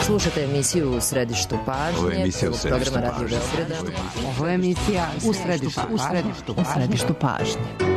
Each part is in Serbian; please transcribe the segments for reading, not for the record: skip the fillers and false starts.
Slušate emisiju U središtu pažnje. Ovo je emisija U središtu programa Radio Beograda. Ovo je emisija U središtu pažnje.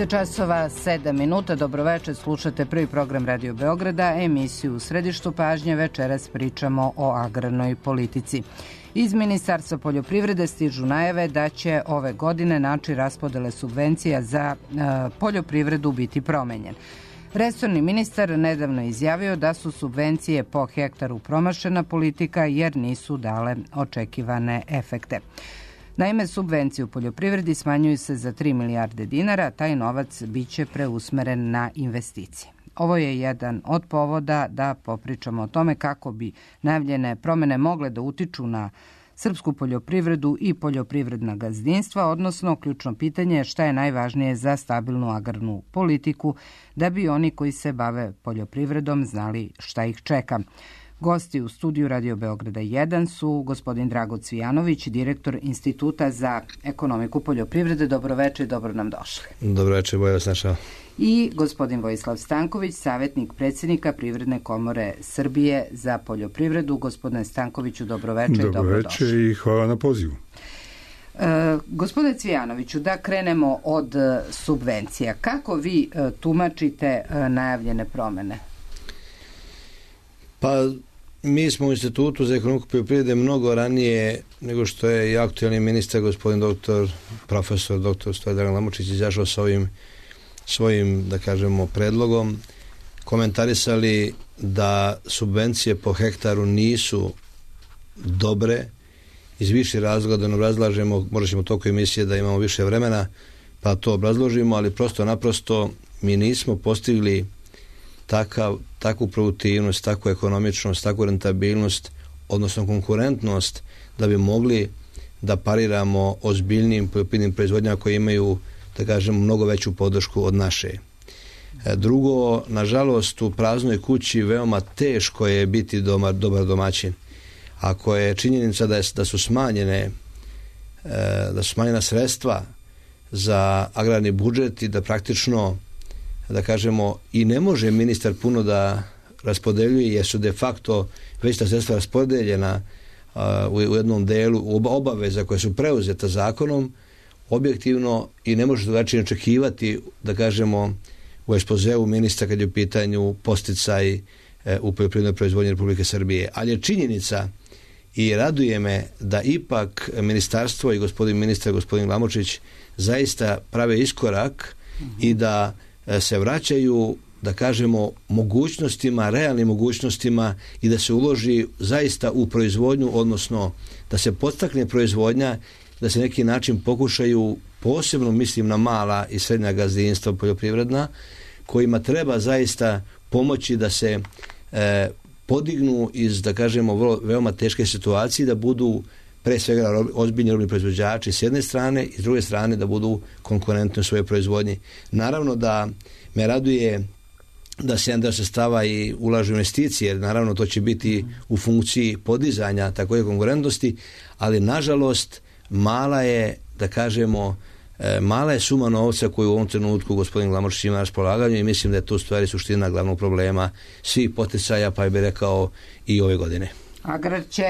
Časova 7 minuta. Dobroveče, slušate prvi program Radio Beograda, emisiju U središtu pažnje. Večeras pričamo o agrarnoj politici. Iz Ministarstva poljoprivrede stižu najave da će ove godine način raspodele subvencija za poljoprivredu biti promenjen. Resorni ministar nedavno izjavio da su subvencije po hektaru promašena politika jer nisu dale očekivane efekte. Naime, subvencije u poljoprivredi smanjuju se za 3 milijarde dinara, taj novac biće preusmeren na investicije. Ovo je jedan od povoda da popričamo o tome kako bi najavljene promene mogle da utiču na srpsku poljoprivredu i poljoprivredna gazdinstva, odnosno ključno pitanje je šta je najvažnije za stabilnu agrarnu politiku, da bi oni koji se bave poljoprivredom znali šta ih čeka. Gosti u studiju Radio Beograda 1 su gospodin Drago Cvijanović, direktor Instituta za ekonomiku poljoprivrede. Dobroveče i dobro nam došli. Dobroveče, bolje vas našao. I gospodin Vojislav Stanković, savjetnik predsjednika Privredne komore Srbije za poljoprivredu. Gospodine Stankoviću, dobroveče i dobrodošli. Dobroveče i hvala na pozivu. Gospodine Cvijanoviću, da krenemo od subvencija. Kako vi tumačite najavljene promene? Pa, mi smo u Institutu za ekonomiku poljoprivrede mnogo ranije nego što je i aktualni ministar, gospodin profesor dr. Stojan Lamučić izašao sa ovim svojim, da kažemo, predlogom, komentarisali da subvencije po hektaru nisu dobre iz više razloga, da ne obrazlažemo, možda ćemo toliko emisije da imamo više vremena, pa to obrazložimo, ali prosto naprosto mi nismo postigli takvu produktivnost, takvu ekonomičnost, takvu rentabilnost, odnosno konkurentnost, da bi mogli da pariramo ozbiljnim poljoprivrednim proizvodnjama koji imaju, da kažemo, mnogo veću podršku od naše. Drugo, nažalost, u praznoj kući veoma teško je biti dobar domaćin. Ako je činjenica da su smanjena sredstva za agrarni budžet i da praktično, da kažemo, i ne može ministar puno da raspodeljuje jer su de facto već ta sredstva raspodeljena u jednom delu obaveza koje su preuzeta zakonom, objektivno i ne može drugačije očekivati, da kažemo, u ekspozeu ministra kad je u pitanju podsticaj u poljoprivrednoj proizvodnji Republike Srbije. Ali je činjenica i raduje me da ipak ministarstvo i gospodin ministar, gospodin Lamučić, zaista prave iskorak i da se vraćaju, da kažemo, mogućnostima, realnim mogućnostima i da se uloži zaista u proizvodnju, odnosno da se podstakne proizvodnja, da se neki način pokušaju, posebno mislim na mala i srednja gazdinstva poljoprivredna, kojima treba zaista pomoći da se podignu iz, da kažemo, veoma teške situacije, da budu pre svega ozbiljni robni proizvođači s jedne strane i s druge strane da budu konkurentni u svojoj proizvodnji. Naravno da me raduje da se jedan deo sredstava i ulažu investicije, jer naravno to će biti u funkciji podizanja takve konkurentnosti, ali nažalost mala je, da kažemo, mala je suma novca koju u ovom trenutku gospodin Glamočić ima na raspolaganju i mislim da je tu stvari suština glavnog problema svih poticaja, pa bih rekao i ove godine. Agrar će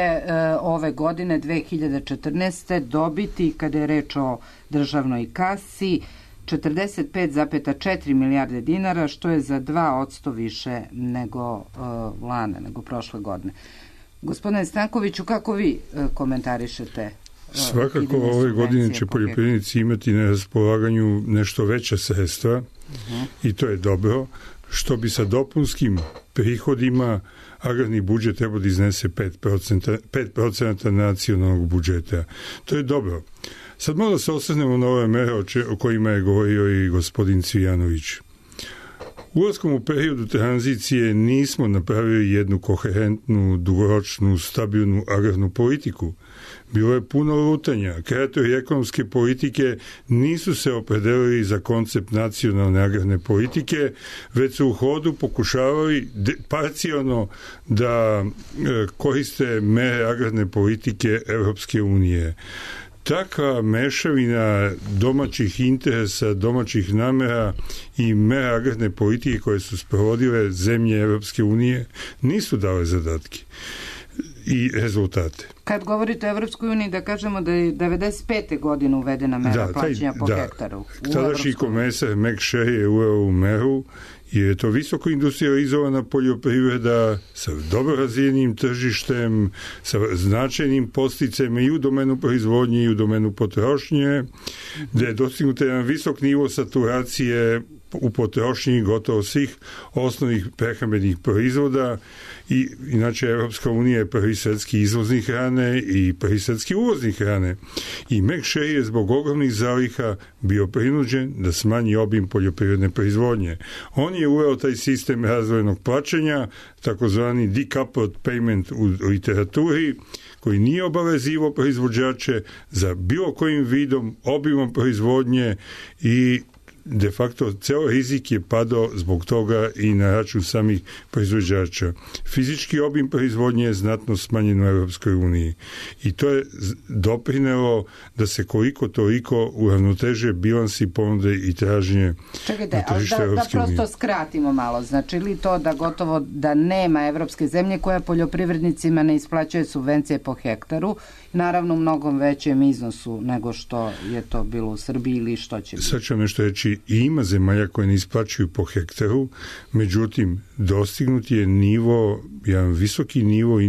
ove godine 2014. dobiti, kada je reč o državnoj kasi, 45,4 milijarde dinara, što je za 2% više nego lane, nego prošle godine. Gospodine Stankoviću, kako vi komentarišete? Svakako ove godine će poljoprivrednici imati na raspolaganju nešto veća sredstva i to je dobro, što bi sa dopunskim prihodima agrarni budžet treba da iznese 5% nacionalnog budžeta. To je dobro. Sad malo se osvrnemo na ove mere o kojima je govorio i gospodin Cvijanović. Ulaskom u periodu tranzicije nismo napravili jednu koherentnu, dugoročnu, stabilnu agrarnu politiku. Bilo je puno lutanja. Kreatori ekonomske politike nisu se opredelili za koncept nacionalne agrarne politike, već su u hodu pokušavali parcijalno da koriste mere agrarne politike Evropske unije. Takva mešavina domaćih interesa, domaćih namera i mera agrarne politike koje su sprovodile zemlje Evropske unije nisu dale zadatke i rezultate. Kad govorite o Evropskoj uniji, da kažemo da je 95. godine uvedena mera plaćanja po hektaru. Tadašnji komesar McSherry je uveo u meru jer je to visoko industrializovana poljoprivreda sa dobro razvijenim tržištem, sa značajnim podsticajima i u domenu proizvodnje i u domenu potrošnje, gde je dostignut jedan visok nivo saturacije u potrošnji gotovo svih osnovnih prehrambenih proizvoda i inače Evropska unija je prvi svetski izvoznik hrane i prvi svetski uvoznik hrane. I McSherry je zbog ogromnih zaliha bio prinuđen da smanji obim poljoprivredne proizvodnje. On je uveo taj sistem razvojnog plaćanja, takozvani decoupled payment u literaturi, koji nije obavezivo proizvođače za bilo kojim vidom, obimom proizvodnje i de facto ceo rizik je padao zbog toga i na račun samih proizvođača. Fizički obim proizvodnje je znatno smanjen u Evropskoj uniji i to je doprinelo da se koliko toliko uravnoteže bilansi ponude i tražnje na tržište Evropske unije. Da prosto skratimo malo, znači li to da gotovo da nema evropske zemlje koja poljoprivrednicima ne isplaćuje subvencije po hektaru, naravno u mnogom većem iznosu nego što je to bilo u Srbiji ili što će biti? Sad ću nešto reći, i ima zemalja koje ne isplaćuju po hektaru, međutim, dostignut je jedan visoki nivo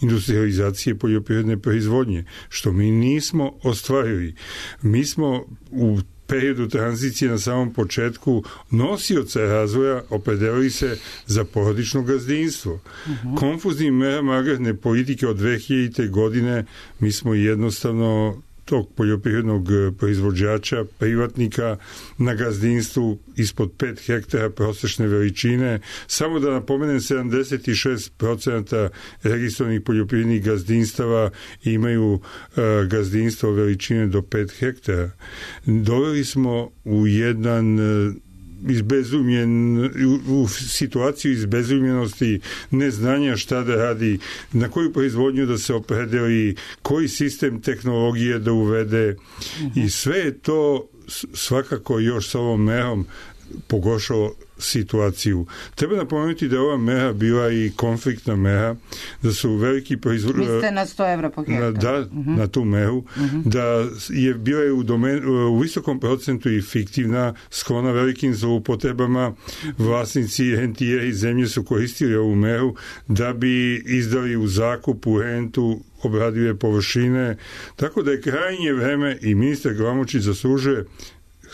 industrializacije poljoprivredne proizvodnje, što mi nismo ostvarili. Mi smo u periodu tranzicije na samom početku nosioca razvoja opredelili se za porodično gazdinstvo. Konfuznim merama agrarne politike od 2000. godine mi smo jednostavno tog poljoprivrednog proizvođača, privatnika na gazdinstvu ispod 5 hektara prosečne veličine. Samo da napomenem, 76% registrovanih poljoprivrednih gazdinstava imaju gazdinstvo veličine do 5 hektara. Doveli smo u u situaciju izbezumljenosti, neznanja šta da radi, na koju proizvodnju da se opredeli, koji sistem tehnologije da uvede i sve je to svakako još s ovom merom pogoršalo situaciju. Treba napomenuti da je ova mera bila i konfliktna mera, da su veliki proizvođači... Mislite na 100 evra po hektaru? Da, na tu meru, da je bila u visokom procentu i fiktivna, sklona velikim zloupotrebama. Vlasnici rentieri i zemlje su koristili ovu meru da bi izdali u zakup, u rentu obradive površine. Tako da je krajnje vreme i ministar Glamočić zaslužuje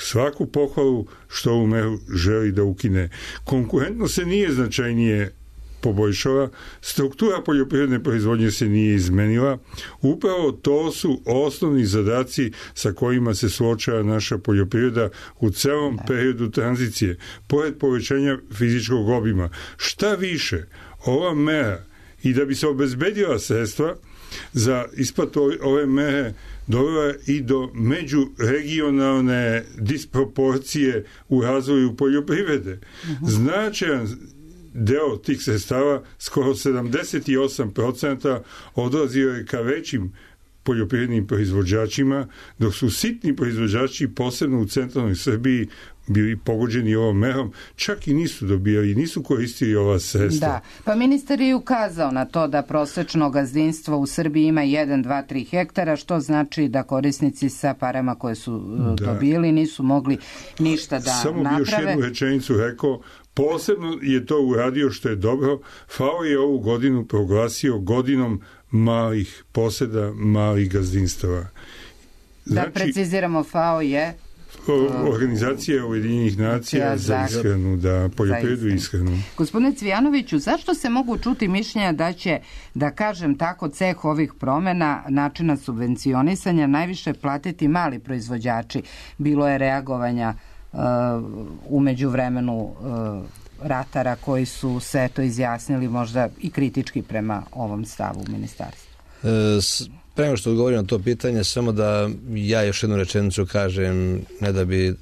svaku pohvalu što ovu meru želi da ukine. Konkurentno se nije značajnije poboljšala, struktura poljoprivredne proizvodnje se nije izmenila. Upravo to su osnovni zadaci sa kojima se suočava naša poljoprivreda u celom periodu tranzicije. Pored povećanja fizičkog obima. Šta više, ova mera i da bi se obezbedila sredstva za isplatu ove mere dovela i do međuregionalne disproporcije u razvoju poljoprivrede. Značajan deo tih sredstava, skoro 78%, odlazio je ka većim poljoprivrednim proizvođačima, dok su sitni proizvođači, posebno u centralnoj Srbiji, bili pogođeni ovom merom, čak i nisu dobijali, nisu koristili ova sredstva. Da, pa ministar je ukazao na to da prosečno gazdinstvo u Srbiji ima 1, 2, 3 hektara, što znači da korisnici sa parama koje su dobili nisu mogli ništa da Samo naprave. Samo bi još jednu rečenicu rekao, posebno je to uradio što je dobro. FAO je ovu godinu proglasio godinom malih poseda, malih gazdinstava. Znači, da preciziramo, FAO je Organizacija Ujedinjenih nacija za ishranu, da poljoprivredu i ishranu. Gospodine Cvijanoviću, zašto se mogu čuti mišljenja da će, da kažem tako, ceh ovih promena načina subvencionisanja najviše platiti mali proizvođači? Bilo je reagovanja u međuvremenu ratara koji su se to izjasnili možda i kritički prema ovom stavu ministarstva. Prema što odgovorim na to pitanje, samo da ja još jednu rečenicu kažem, ne da bi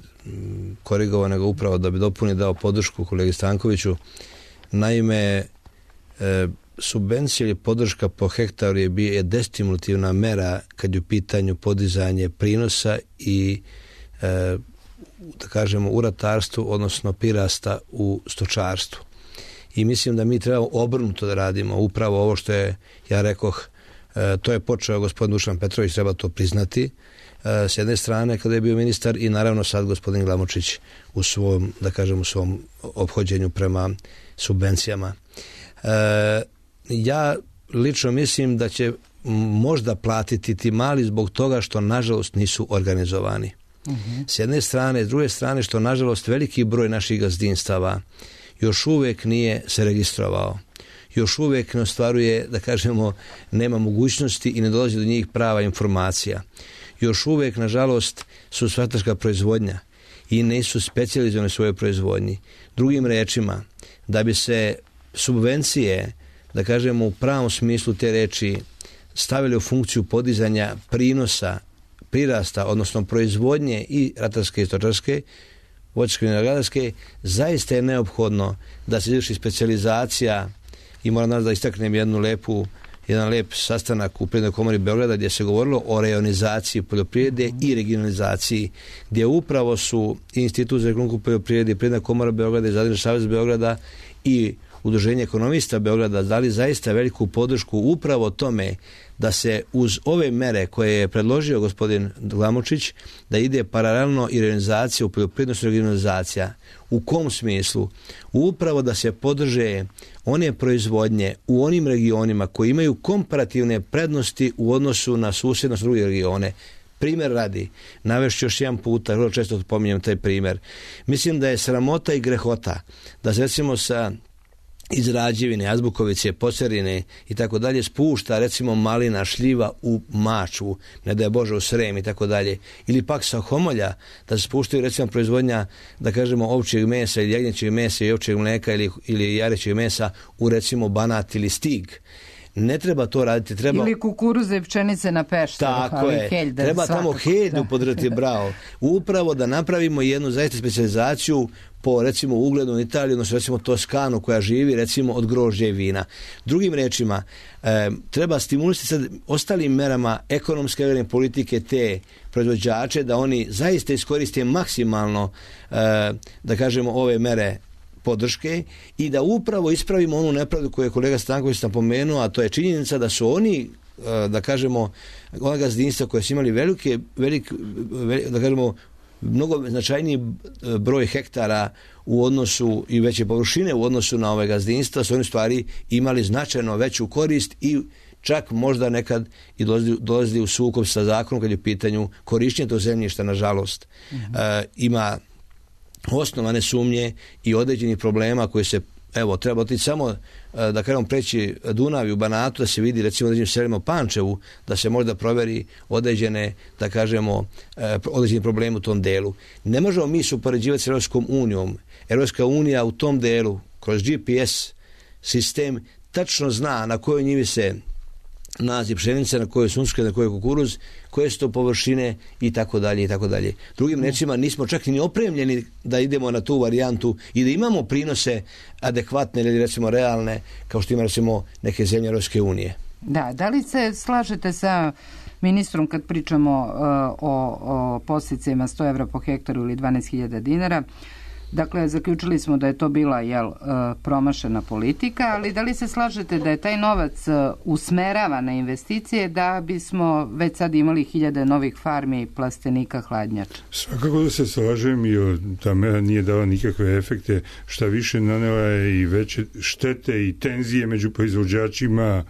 korigovao, nego upravo da bi dao podršku kolegi Stankoviću. Naime, subvencija ili podrška po hektaru je destimulativna mera kad je u pitanju podizanje prinosa i da kažemo u ratarstvu, odnosno prirasta u stočarstvu. I mislim da mi trebamo obrnuto da radimo. Upravo ovo što je, ja rekoh, to je počeo gospodin Dušan Petrović, treba to priznati, s jedne strane kada je bio ministar i naravno sad gospodin Glamočić u svom, da kažem, u svom ophođenju prema subvencijama. Ja lično mislim da će možda platiti ti mali zbog toga što nažalost nisu organizovani. S jedne strane, s druge strane što nažalost veliki broj naših gazdinstava još uvijek nije se registrovao. Još uvijek ne ostvaruje, da kažemo, nema mogućnosti i ne dolazi do njih prava informacija. Još uvijek, nažalost, su stočarska proizvodnja i nisu specijalizovani u svojoj proizvodnji. Drugim rečima, da bi se subvencije, da kažemo, u pravom smislu te reči stavili u funkciju podizanja prinosa, prirasta, odnosno proizvodnje i ratarske i stočarske, voćarske i vinogradarske, zaista je neophodno da se izvrši specijalizacija. I moram da istaknem jedan lep sastanak u Privrednoj komori Beograda gdje se govorilo o rejonizaciji poljoprivrede i regionalizaciji, gdje upravo su Institut za ekonomsku poljoprivredu, Privredna komora Beograda i Zadružni savez Beograda i Udruženje ekonomista Beograda dali zaista veliku podršku upravo tome da se uz ove mere koje je predložio gospodin Glamočić, da ide paralelno i regionalizacija u poljoprivrednosti regionalizacija. U kom smislu? Upravo da se podrže one proizvodnje u onim regionima koji imaju komparativne prednosti u odnosu na susjednost druge regione. Primjer radi, navešću još jedan puta, vrlo često pominjem taj primjer. Mislim da je sramota i grehota da se recimo sa iz Rađevine, Azbukovice, Pocerine i tako dalje spušta recimo malina, šljiva u Mačvu, ne da je Bože u Srem i tako dalje, ili pak sa Homolja da se spuštaju recimo proizvodnja, da kažemo, ovčjeg mesa ili jagnjećeg mesa i ovčjeg mleka ili jarećeg mesa u recimo Banat ili Stig. Ne treba to raditi, treba... Ili kukuruze i pšenice na Pešteru. Tako je, treba tamo Helju podržati, bravo. Upravo da napravimo jednu zaista specijalizaciju po recimo ugledu na Italiju, odnosno recimo Toskanu koja živi recimo od grožđa i vina. Drugim rečima, treba stimulisati sad ostalim merama ekonomske politike te proizvođače da oni zaista iskoriste maksimalno, da kažemo, ove mere podrške i da upravo ispravimo onu nepravdu koju je kolega Stanković napomenuo, a to je činjenica da su oni, da kažemo, ona gazdinstva koja su imali velik, da kažemo, mnogo značajniji broj hektara u odnosu i veće površine u odnosu na ove gazdinstva, su oni stvari imali značajno veću korist i čak možda nekad i dolazili u sukob sa zakonom kad je u pitanju korištenja tog zemljišta, nažalost. Ima osnovane sumnje i određenih problema koji se, evo, treba otići samo, da kažemo, preći Dunav i u Banatu, da se vidi recimo određenim selima u Pančevu, da se možda proveri određene, da kažemo, određeni problemi u tom delu. Ne možemo mi se upoređivati s Europskom unijom. Europska unija u tom delu, kroz GPS sistem, tačno zna na kojoj njivi se nalazi pšenica, na kojoj sunčka, na kojoj kukuruz, koje su to površine i tako dalje i tako dalje. Drugim rečima, nismo čak ni opremljeni da idemo na tu varijantu i da imamo prinose adekvatne ili recimo realne, kao što ima recimo neke zemlje Europske unije. Da li se slažete sa ministrom kad pričamo o podsticajima 100 evra po hektaru ili 12.000 dinara. Dakle, zaključili smo da je to bila promašena politika, ali da li se slažete da je taj novac usmerava na investicije da bismo već sad imali 1000 novih farmi plastenika hladnjača? Svakako da se slažem i ta mera nije dala nikakve efekte, šta više nanela je i veće štete i tenzije među proizvođačima,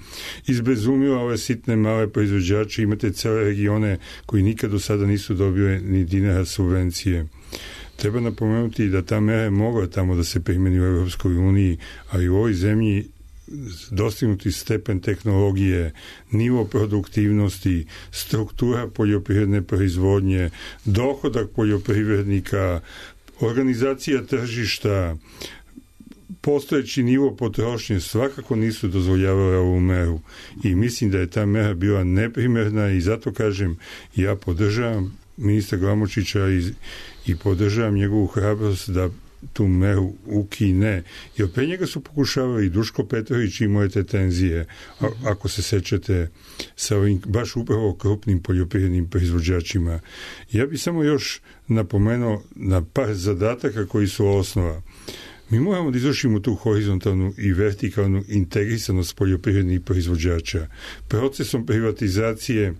izbezumila ove sitne male proizvođače, imate cele regione koji nikad do sada nisu dobili ni dinara subvencije. Treba napomenuti da ta mera je mogla tamo da se primeni u Evropskoj uniji, ali u ovoj zemlji dostignuti stepen tehnologije, nivo produktivnosti, struktura poljoprivredne proizvodnje, dohodak poljoprivrednika, organizacija tržišta, postojeći nivo potrošnje svakako nisu dozvoljavale ovu meru i mislim da je ta mera bila neprimerna i zato kažem, ja podržavam ministra Glamočića i podržavam njegovu hrabrost da tu meru ukine. Jer pre njega su pokušavali Duško Petrović i moje te tenzije, ako se sećate, sa ovim baš upravo krupnim poljoprivrednim proizvođačima. Ja bih samo još napomenuo na par zadataka koji su osnova. Mi moramo da izvršimo tu horizontalnu i vertikalnu integrisanost poljoprivrednih proizvođača. Procesom privatizacije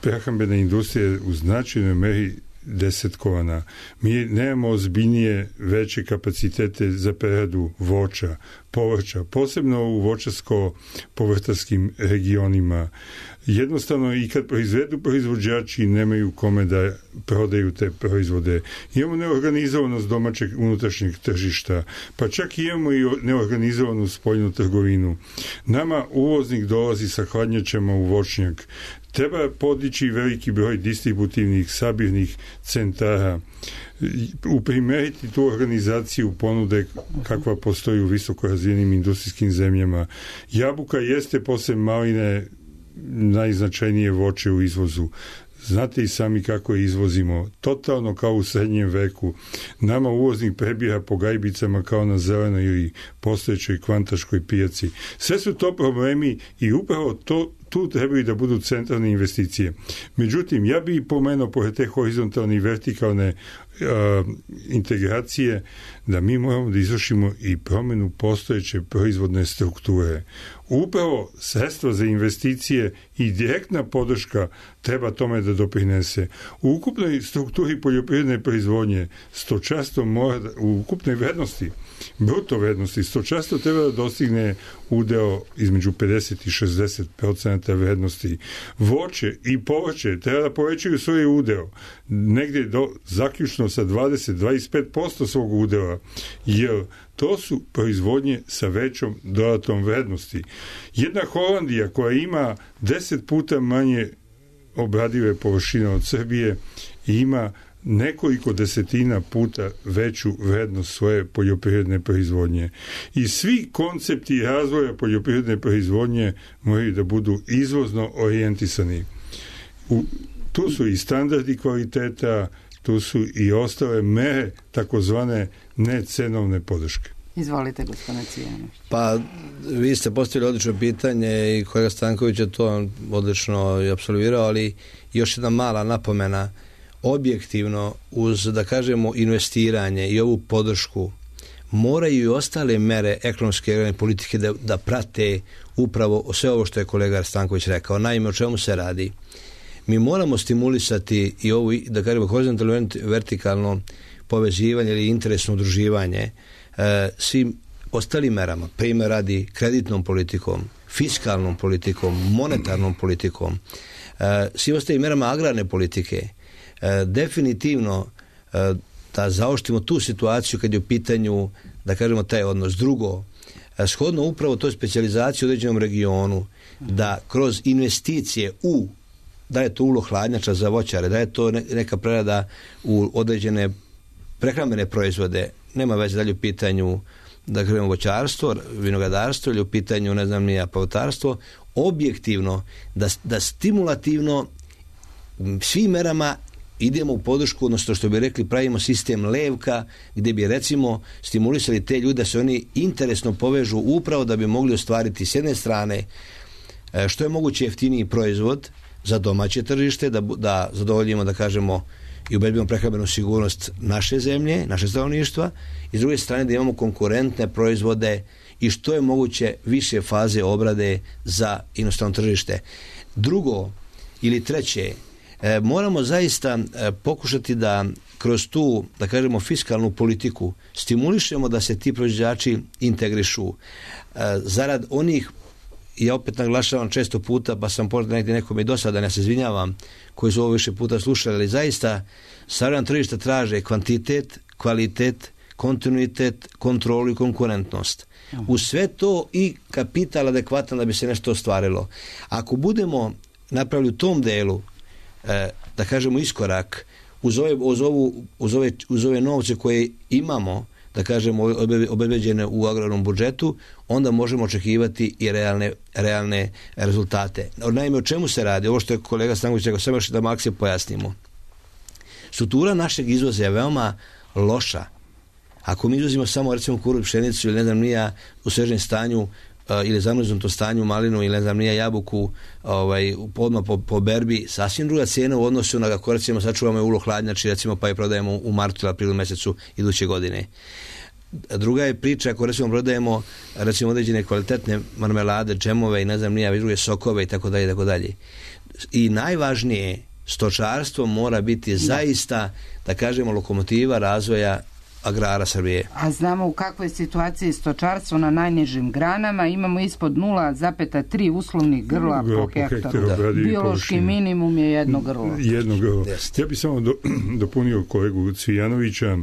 prehrambene industrije u značajnoj meri desetkovana. Mi nemamo ozbiljnije veće kapacitete za preradu voća, povrća, posebno u voćarsko-povrtarskim regionima. Jednostavno i kad proizvedu proizvođači nemaju kome da prodaju te proizvode. Imamo neorganizovanost domaćeg unutrašnjeg tržišta, pa čak imamo i neorganizovanu spoljnu trgovinu. Nama uvoznik dolazi sa hladnjačama u voćnjak. Treba podići veliki broj distributivnih sabirnih centara, uprimeriti tu organizaciju ponude kakva postoji u visoko razvijenim industrijskim zemljama. Jabuka jeste posle maline najznačajnije voće u izvozu. Znate i sami kako je izvozimo. Totalno kao u srednjem veku. Nama uvoznik prebira po gajbicama kao na zelenoj ili postojećoj kvantaškoj pijaci. Sve su to problemi i upravo tu trebaju da budu centralne investicije. Međutim, ja bih pomenuo pored te horizontalne i vertikalne integracije da mi moramo da izvršimo i promenu postojeće proizvodne strukture. Upravo sredstva za investicije i direktna podrška treba tome da doprinese. U ukupnoj strukturi poljoprivredne proizvodnje stočarstvo mora u ukupnoj vrednosti, bruto vrednosti, stočarstvo treba da dostigne udeo između 50 i 60% vrednosti. Voće i povrće treba da povećaju svoj udeo negdje zaključno sa 20-25% svog udela, jer to su proizvodnje sa većom dodatnom vrednosti. Jedna Holandija koja ima 10 puta manje obradive površine od Srbije i ima nekoliko desetina puta veću vrednost svoje poljoprivredne proizvodnje. I svi koncepti razvoja poljoprivredne proizvodnje moraju da budu izvozno orijentisani. Tu su i standardi kvaliteta, tu su i ostale mere takozvane necenovne podrške. Izvolite, gospodine Cvijanović. Pa, vi ste postavili odlično pitanje i kolega Stanković je to odlično i apsolvirao, ali još jedna mala napomena. Objektivno, uz, da kažemo, investiranje i ovu podršku, moraju i ostale mere ekonomske politike da prate upravo sve ovo što je kolega Stanković rekao. Naime, o čemu se radi? Mi moramo stimulisati i ovo, da kažemo, horizontalno vertikalno povezivanje ili interesno udruživanje svim ostalim merama, primjer radi kreditnom politikom, fiskalnom politikom, monetarnom politikom, svim ostalim merama agrarne politike. Definitivno da zaoštimo tu situaciju kad je u pitanju, da kažemo, taj odnos. Drugo, shodno upravo toj specijalizaciji u određenom regionu, da kroz investicije da je to ulo hladnjača za voćare, da je to neka prerada u određene prehrambene proizvode, nema veze dalje u pitanju, da kažemo, voćarstvo, vinogradarstvo ili u pitanju, ne znam nija, povrtarstvo, objektivno, da stimulativno svim merama idemo u podršku, odnosno što bi rekli, pravimo sistem levka, gdje bi recimo stimulisali te ljude da se oni interesno povežu upravo da bi mogli ostvariti s jedne strane što je moguće jeftiniji proizvod, za domaće tržište, da zadovoljimo, da kažemo, i ubedimo prehrambenu sigurnost naše zemlje, naše stanovništva, i s druge strane da imamo konkurentne proizvode i što je moguće više faze obrade za inostrano tržište. Drugo ili treće, moramo zaista pokušati da kroz tu, da kažemo, fiskalnu politiku stimulišemo da se ti proizvođači integrišu zarad onih, ja opet naglašavam često puta, pa sam možda negdje nekome i dosadan, ja se izvinjavam, koji su ovo više puta slušali, ali zaista savremena tržišta traže kvantitet, kvalitet, kontinuitet, kontrolu i konkurentnost. U sve to i kapital adekvatan da bi se nešto ostvarilo. Ako budemo napravili u tom delu, da kažemo, iskorak uz ove novce koje imamo, da kažemo, obezbeđene u agrarnom budžetu, onda možemo očekivati i realne rezultate. Naime, o čemu se radi? Ovo što je kolega Stanković rekao, samo još da makse pojasnimo. Struktura našeg izvoza je veoma loša. Ako mi izvozimo samo, recimo, kukuruz, pšenicu ili ne znam nija u svežem stanju ili zamrznutom stanju malinu ili ne znam nija jabuku odmah po berbi, sasvim druga cijena u odnosu na kako recimo sačuvamo ulo hladnjači, recimo, pa je prodajemo u martu ili aprilu mjesecu iduće godine. Druga je priča ako recimo prodajemo recimo određene kvalitetne marmelade, džemove i ne znam nija druge sokove i tako dalje, tako dalje. I najvažnije, stočarstvo mora biti zaista, da kažemo, lokomotiva razvoja agrara Srbije. A znamo u kakvoj situaciji stočarstvo na najnižim granama, imamo ispod 0,3 uslovnih grla po hektaru. Biološki minimum je jedno grlo. Jedno grlo. Ja bih samo dopunio kolegu Cvijanovića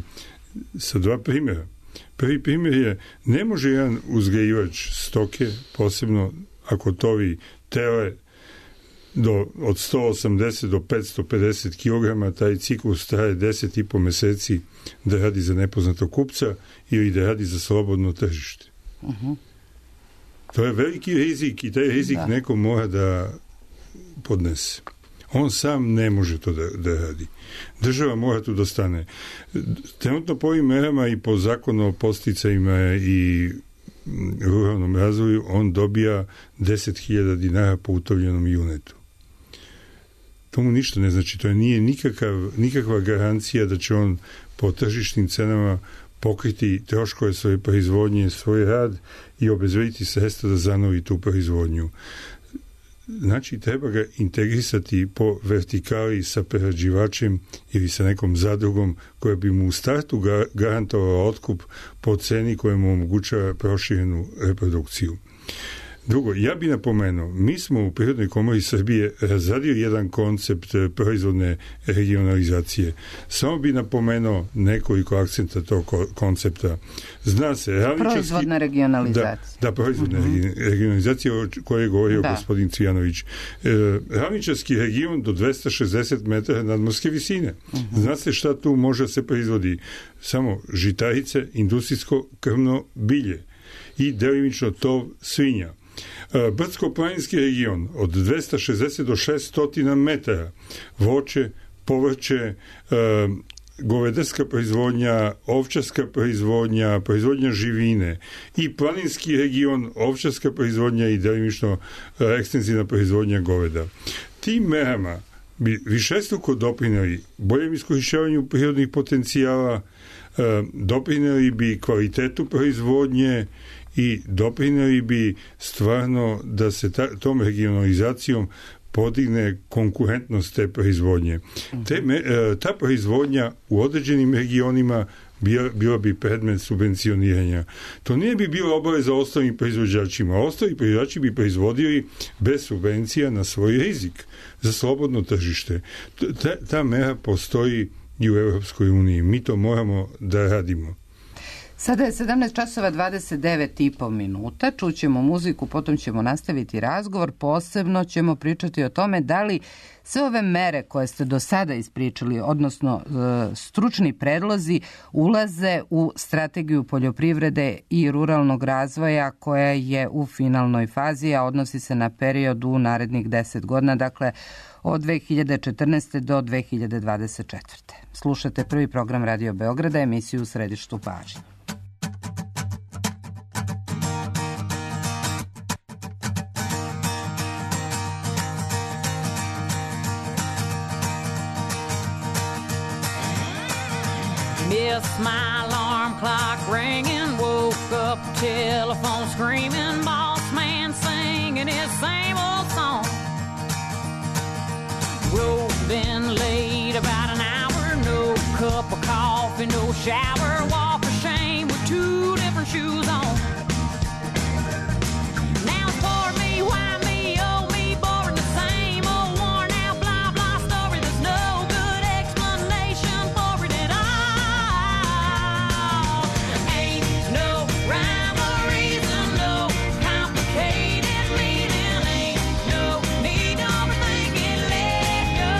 sa dva primjera. Prvi primjer je, ne može jedan uzgajivač stoke, posebno ako tovi tele od 180 do 550 kg, taj ciklus traje 10,5 mjeseci da radi za nepoznatog kupca ili da radi za slobodno tržište. To je veliki rizik i taj rizik neko mora da podnese. On sam ne može to da radi. Država mora tu da stane. Trenutno po ovim merama i po zakonu o posticajima i ruralnom razvoju on dobija 10.000 dinara po utovljenom junetu. To mu ništa ne znači. To nije nikakva garancija da će on po tržišnim cenama pokriti troškove svoje proizvodnje, svoj rad i obezbediti sredstva da zanovi tu proizvodnju. Znači, treba ga integrisati po vertikali sa prerađivačem ili sa nekom zadrugom koja bi mu u startu garantovala otkup po ceni koja mu omogućava proširenu reprodukciju. Drugo, ja bih napomenuo, mi smo u Prirodnoj komori Srbije razradili jedan koncept proizvodne regionalizacije. Samo bih napomenuo nekoliko akcenta tog koncepta. Zna se, proizvodna regionalizacija. Da, proizvodna regionalizacija o kojoj je govorio gospodin Cvijanović. Ravničarski region do 260 metara nadmorske visine. Zna se šta tu može se proizvodi? Samo žitarice, industrijsko krvno bilje i delimično tov svinja. Brdsko-planinski region od 260 do 600 metara, voće, povrće, govedarska proizvodnja, ovčarska proizvodnja, proizvodnja živine i planinski region, ovčarska proizvodnja i delimično ekstenzivna proizvodnja goveda. Tim merama bi višestruko doprineli boljem iskorišćavanju prirodnih potencijala, doprineli bi kvalitetu proizvodnje i doprineli bi stvarno da se tom regionalizacijom podigne konkurentnost te proizvodnje. Ta proizvodnja u određenim regionima bila bi predmet subvencioniranja. To nije bi bilo obaveza ostalim proizvođačima. Ostali proizvođači bi proizvodili bez subvencija na svoj rizik za slobodno tržište. Ta mera postoji i u Europskoj uniji. Mi to moramo da radimo. Sada je 17 časova 29,5 minuta. Čućemo muziku, potom ćemo nastaviti razgovor. Posebno ćemo pričati o tome da li sve ove mere koje ste do sada ispričali, odnosno stručni predlozi, ulaze u strategiju poljoprivrede i ruralnog razvoja koja je u finalnoj fazi, a odnosi se na period u narednih 10 godina, dakle od 2014. do 2024. Slušate prvi program Radio Beograda, emisiju U središtu pažnje. Missed my alarm clock ringing, woke up, telephone screaming, boss man singing his same old song. Road been late about an hour, no cup of coffee, no shower, walk of shame with two different shoes on. Now it's for me, why me, oh me, boring the same old worn out blah blah story. There's no good explanation for it at all. Ain't no rhyme or reason, no complicated meaning, ain't no need to overthink it, let go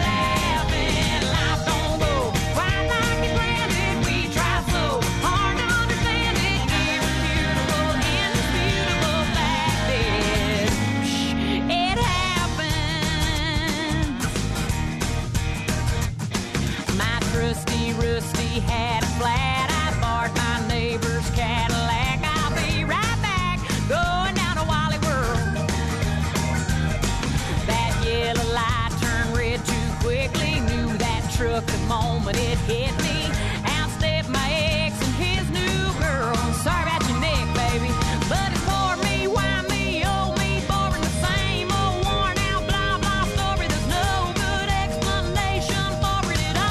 laughing. Life don't go quite like it planned it. We try so hard to understand it. Irrefutable, indisputable fact is, it happens. My trusty rusty had a flat. I borrowed my neighbor's Cadillac. I'll be right back, going down to Wally World. That yellow light turned red too quickly. Knew that truck the moment it hit me. Outstepped my ex and his new girl. Sorry about your neck, baby, but it's for me, why me, oh me, boring the same old worn out blah blah story. There's no good explanation for it at all.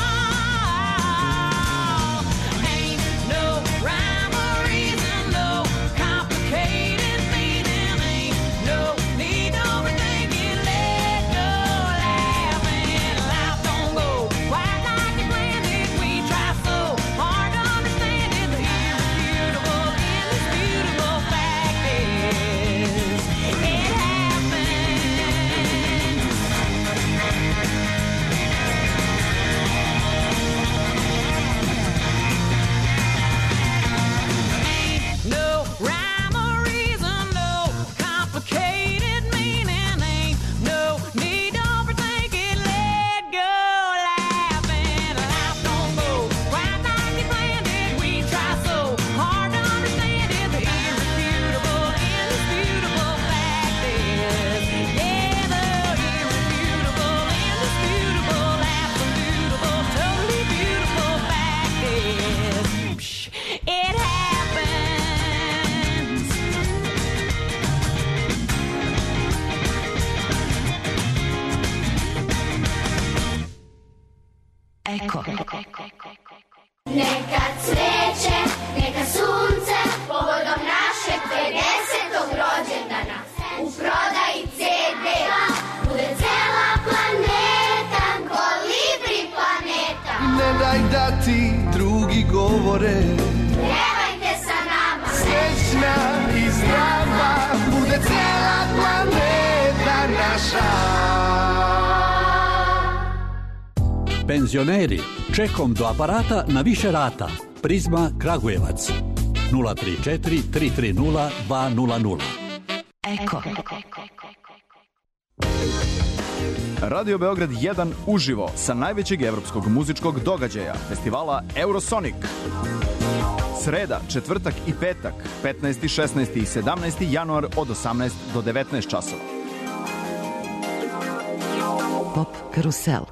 Ain't no rhyme or reason, no complicated meaning, ain't no need to overthink it, let go laughing. Life don't go quite like it planned it. We try so hard to understand it. The irrefutable, indisputable fact is, it happens. Ain't no rhyme or reason, no complicated meaning, ain't no need to overthink it, let go laughing. Life don't go quite like it planned it. We try so hard to understand it. The irrefutable, indisputable fact is, yeah, the irrefutable, indisputable, absolutable, totally beautiful fact is, it happens. Ecco. Neka cveće, neka sunce, povodom našeg 50. rođendana. U prodaji CD bude cela planeta, Kolibri planeta. Ne daj da ti drugi govore, Pevajte sa nama, srećna i zdrava, bude cela planeta naša. Penzioneri, čekom do aparata na više rata. Prizma Kragujevac 034 330 200. Eko. Radio Beograd 1 uživo sa najvećeg evropskog muzičkog događaja, festivala Eurosonic. Sreda, četvrtak i petak, 15., 16. i 17. januar od 18 do 19 časova. Pop Karusel.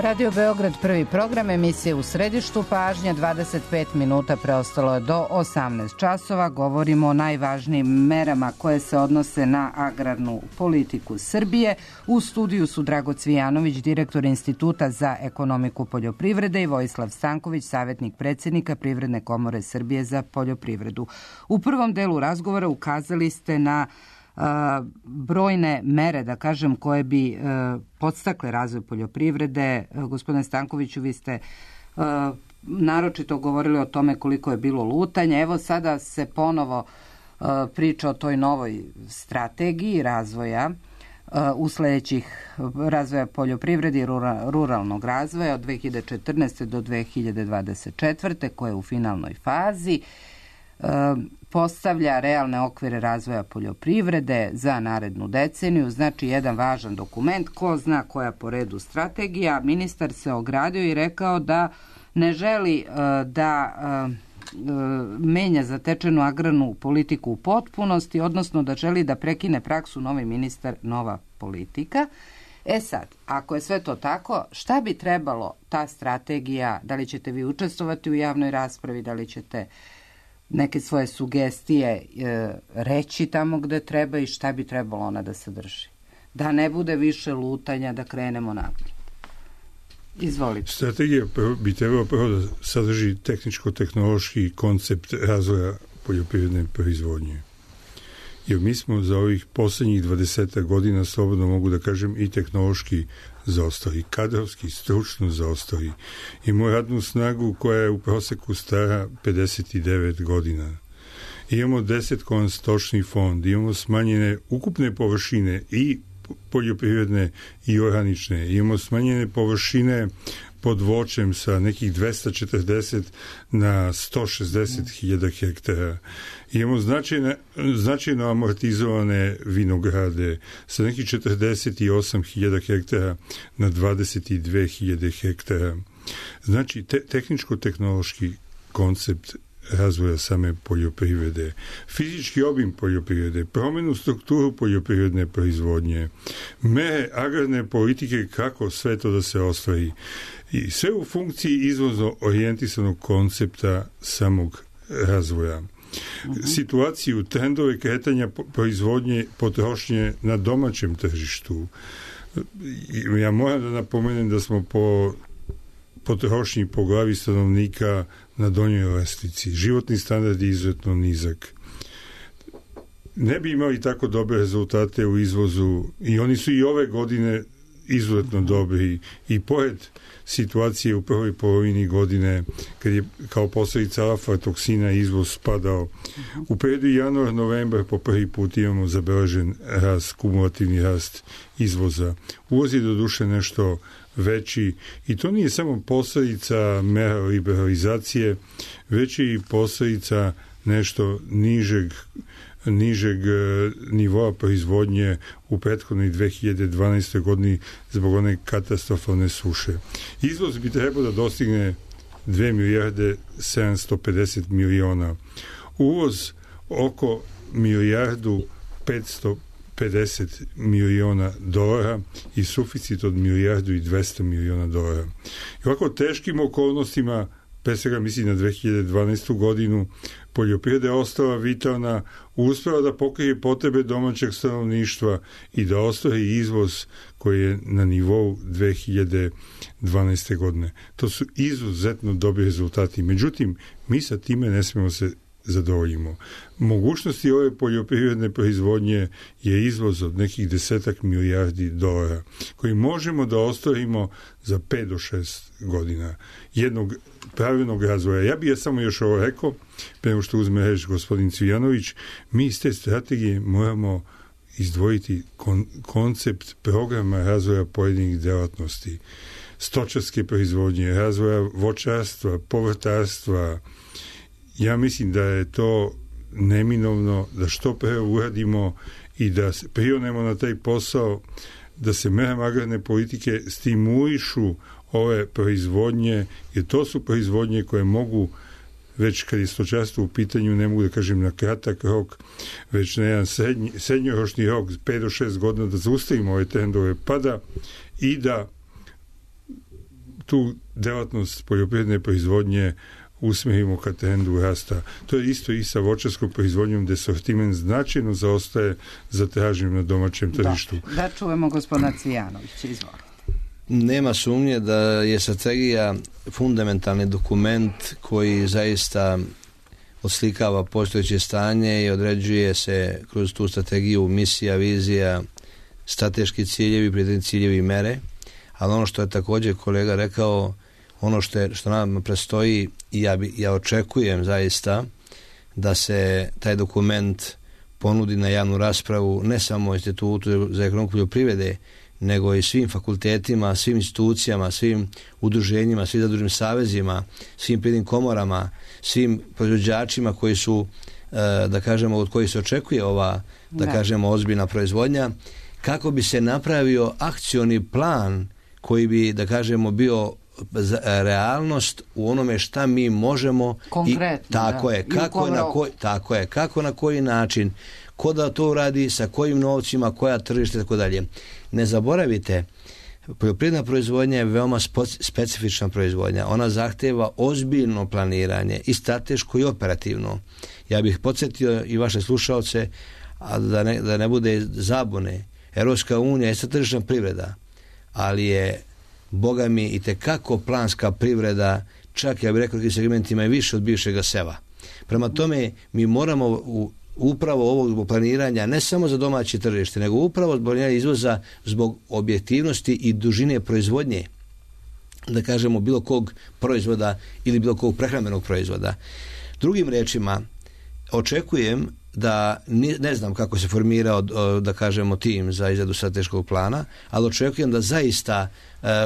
Radio Beograd, prvi program, emisije u središtu pažnje, 25 minuta preostalo je do 18 časova. Govorimo o najvažnijim merama koje se odnose na agrarnu politiku Srbije. U studiju su Drago Cvijanović, direktor Instituta za ekonomiku poljoprivrede, i Vojislav Stanković, savjetnik predsjednika Privredne komore Srbije za poljoprivredu. U prvom delu razgovora ukazali ste na brojne mere, da kažem, koje bi podstakle razvoj poljoprivrede. Gospodine Stankoviću, vi ste naročito govorili o tome koliko je bilo lutanja. Evo sada se ponovo priča o toj novoj strategiji razvoja u sledećih razvoja poljoprivrede i ruralnog razvoja od 2014. do 2024. koja je u finalnoj fazi. Postavlja realne okvire razvoja poljoprivrede za narednu deceniju, znači jedan važan dokument, ko zna koja po redu strategija. Ministar se ogradio i rekao da ne želi da menja zatečenu agrarnu politiku u potpunosti, odnosno da želi da prekine praksu novi ministar, nova politika. E sad, ako je sve to tako, šta bi trebalo ta strategija, da li ćete vi učestvovati u javnoj raspravi, da li ćete neke svoje sugestije reći tamo gde treba i šta bi trebalo ona da sadrži? Da ne bude više lutanja, da krenemo naprijed. Izvolite. Strategija bi trebalo prvo da sadrži tehničko-tehnološki koncept razvoja poljoprivredne proizvodnje. Jer mi smo za ovih posljednjih 20 godina, slobodno mogu da kažem, i tehnološki zaostali, kadrovski, stručno zaostali. Imamo radnu snagu koja je u proseku stara 59 godina. Imamo 10 stočni fond, imamo smanjene ukupne površine i poljoprivredne i oranične, imamo smanjene površine pod voćem sa nekih 240 na 160.000 hektara. Imamo značajno amortizovane vinograde sa nekih 48.000 hektara na 22.000 hektara. Znači, tehničko-tehnološki koncept razvoja same poljoprivrede, fizički obim poljoprivrede, promjenu strukturu poljoprivredne proizvodnje, mere agrarne politike, kako sve to da se ostvari. I sve u funkciji izvozno orijentisanog koncepta samog razvoja. Situaciju, trendove kretanja proizvodnje, potrošnje na domaćem tržištu. Ja moram da napomenem da smo po potrošnji po glavi stanovnika na donjoj lestvici. Životni standard je izuzetno nizak. Ne bi imali tako dobre rezultate u izvozu i oni su i ove godine izuzetno dobri i pored situacije u prvoj polovini godine kad je kao posljedica aflatoksina izvoz spadao. U periodu januar-novembar po prvi put imamo zabeležen rast, kumulativni rast izvoza. Uvoz je doduše nešto veći i to nije samo posljedica mera liberalizacije, već i posljedica nešto nižeg nivoa proizvodnje u prethodnoj 2012. godini zbog one katastrofalne suše. Izvoz bi trebao da dostigne 2 milijarde 750 miliona. Uvoz oko milijardu 550 miliona dolara i suficit od milijardu i 200 miliona dolara. I ovako teškim okolnostima, pre svega mislim na 2012. godinu, poljoprivreda je ostala vitalna, uspela da pokrije potrebe domaćeg stanovništva i da ostvari izvoz koji je na nivou 2012. godine. To su izuzetno dobri rezultati. Međutim, mi sa time ne smemo se zadovoljimo. Mogućnosti ove poljoprivredne proizvodnje je izvoz od nekih 10 milijardi dolara koji možemo da ostvarimo za 5 do 6 godina jednog pravilnog razvoja. Ja bih samo još ovo rekao, pre nego što uzme reč gospodin Cvijanović, mi iz te strategije moramo izdvojiti koncept programa razvoja pojedinih delatnosti, stočarske proizvodnje, razvoja voćarstva, povrtarstva. Ja mislim da je to neminovno da što pre uradimo i da prionemo na taj posao, da se merama agrarne politike stimulišu ove proizvodnje, jer to su proizvodnje koje mogu, već kad je stočarstvo u pitanju, ne mogu da kažem na kratak rok, već na jedan srednjoročni rok, 5 do 6 godina, da zaustavimo ove trendove pada i da tu delatnost poljoprivredne proizvodnje usmjerimo ka trendu rasta. To je isto i sa voćarskom proizvodnjom gdje sortiment značajno zaostaje za traženjem na domaćem tržištu. Da čujemo gospodina Cvijanovića, izvolite. Nema sumnje da je strategija fundamentalni dokument koji zaista odslikava postojeće stanje i određuje se kroz tu strategiju misija, vizija, strateški ciljevi, prioritetni ciljevi i mere, ali ono što je također kolega rekao, ono što nam predstoji i ja očekujem zaista da se taj dokument ponudi na javnu raspravu ne samo Institutu za ekonomiju poljoprivrede, nego i svim fakultetima, svim institucijama, svim udruženjima, svim zadružnim savezima, svim privrednim komorama, svim proizvođačima koji su, da kažemo, od kojih se očekuje ova, da kažemo, ozbiljna proizvodnja, kako bi se napravio akcioni plan koji bi, da kažemo, bio realnost u onome šta mi možemo konkretno, kako na koji način, ko da to uradi, sa kojim novcima, koja tržište, tako dalje. Ne zaboravite, poljoprivredna proizvodnja je veoma specifična proizvodnja. Ona zahteva ozbiljno planiranje i strateško i operativno. Ja bih podsjetio i vaše slušaoce, a da ne bude zabune. Europska unija je tržišna privreda, ali je, Boga mi, i tekako planska privreda, čak ja bih rekao u segmentima i više od bivšega seva. prema tome mi moramo upravo ovog planiranja ne samo za domaće tržište, nego upravo zbog izvoza, zbog objektivnosti i dužine proizvodnje, da kažemo bilo kog proizvoda ili bilo kog prehrambenog proizvoda. Drugim rečima, očekujem da, ne znam kako se formirao, da kažemo, tim za izradu strateškog plana, ali očekujem da zaista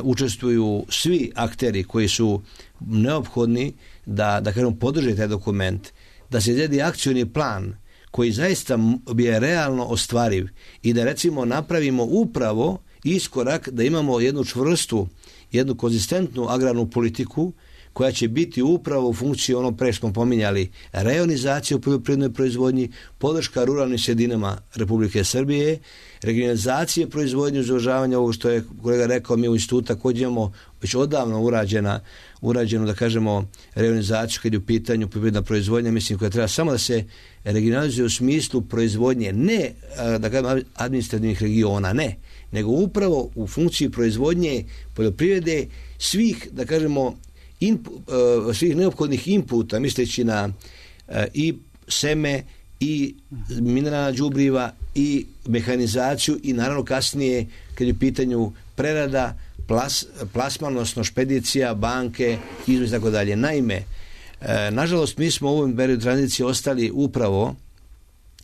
učestvuju svi akteri koji su neophodni da kažemo, podrže taj dokument, da se izradi akcioni plan koji zaista je realno ostvariv i da recimo napravimo upravo iskorak da imamo jednu čvrstu, jednu konzistentnu agrarnu politiku koja će biti upravo u funkciji ono pre smo pominjali, reonizacija u poljoprivrednoj proizvodnji, podrška ruralnim sredinama Republike Srbije, regionalizacije proizvodnje, uvažavanja ovog što je kolega rekao, mi u institutu također imamo već odavno urađenu, da kažemo, reonizaciju kad je u pitanju poljoprivredna proizvodnja, mislim koja treba samo da se regionalizuje u smislu proizvodnje, ne da kažemo administrativnih regiona, ne, nego upravo u funkciji proizvodnje poljoprivrede svih, da kažemo, svih neophodnih inputa, misleći na i seme, i mineralna đubriva, i mehanizaciju, i naravno kasnije kad je u pitanju prerada, plasman, odnosno špedicija, banke, izvoz i tako dalje. Naime, nažalost mi smo u ovom periodu tranzicije ostali upravo,